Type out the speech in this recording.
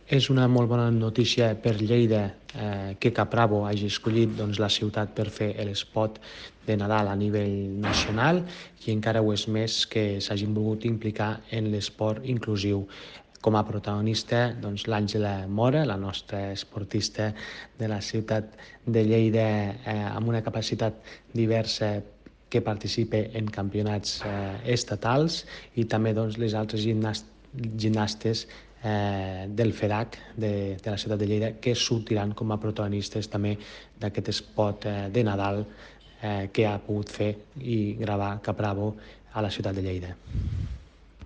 És una molt bona notícia per Lleida que Caprabo hagi escollit la ciutat per fer l'espot de Nadal a nivell nacional i encara ho és més que s'hagin volgut implicar en l'esport inclusiu. Com a protagonista, l'Àngela Mora, la nostra esportista de la ciutat de Lleida amb una capacitat diversa que participa en campionats estatals i també les altres gimnastes del FEDAC de la ciutat de Lleida que sortiran com a protagonistes també d'aquest espot de Nadal que ha pogut fer i gravar Caprabo a la ciutat de Lleida.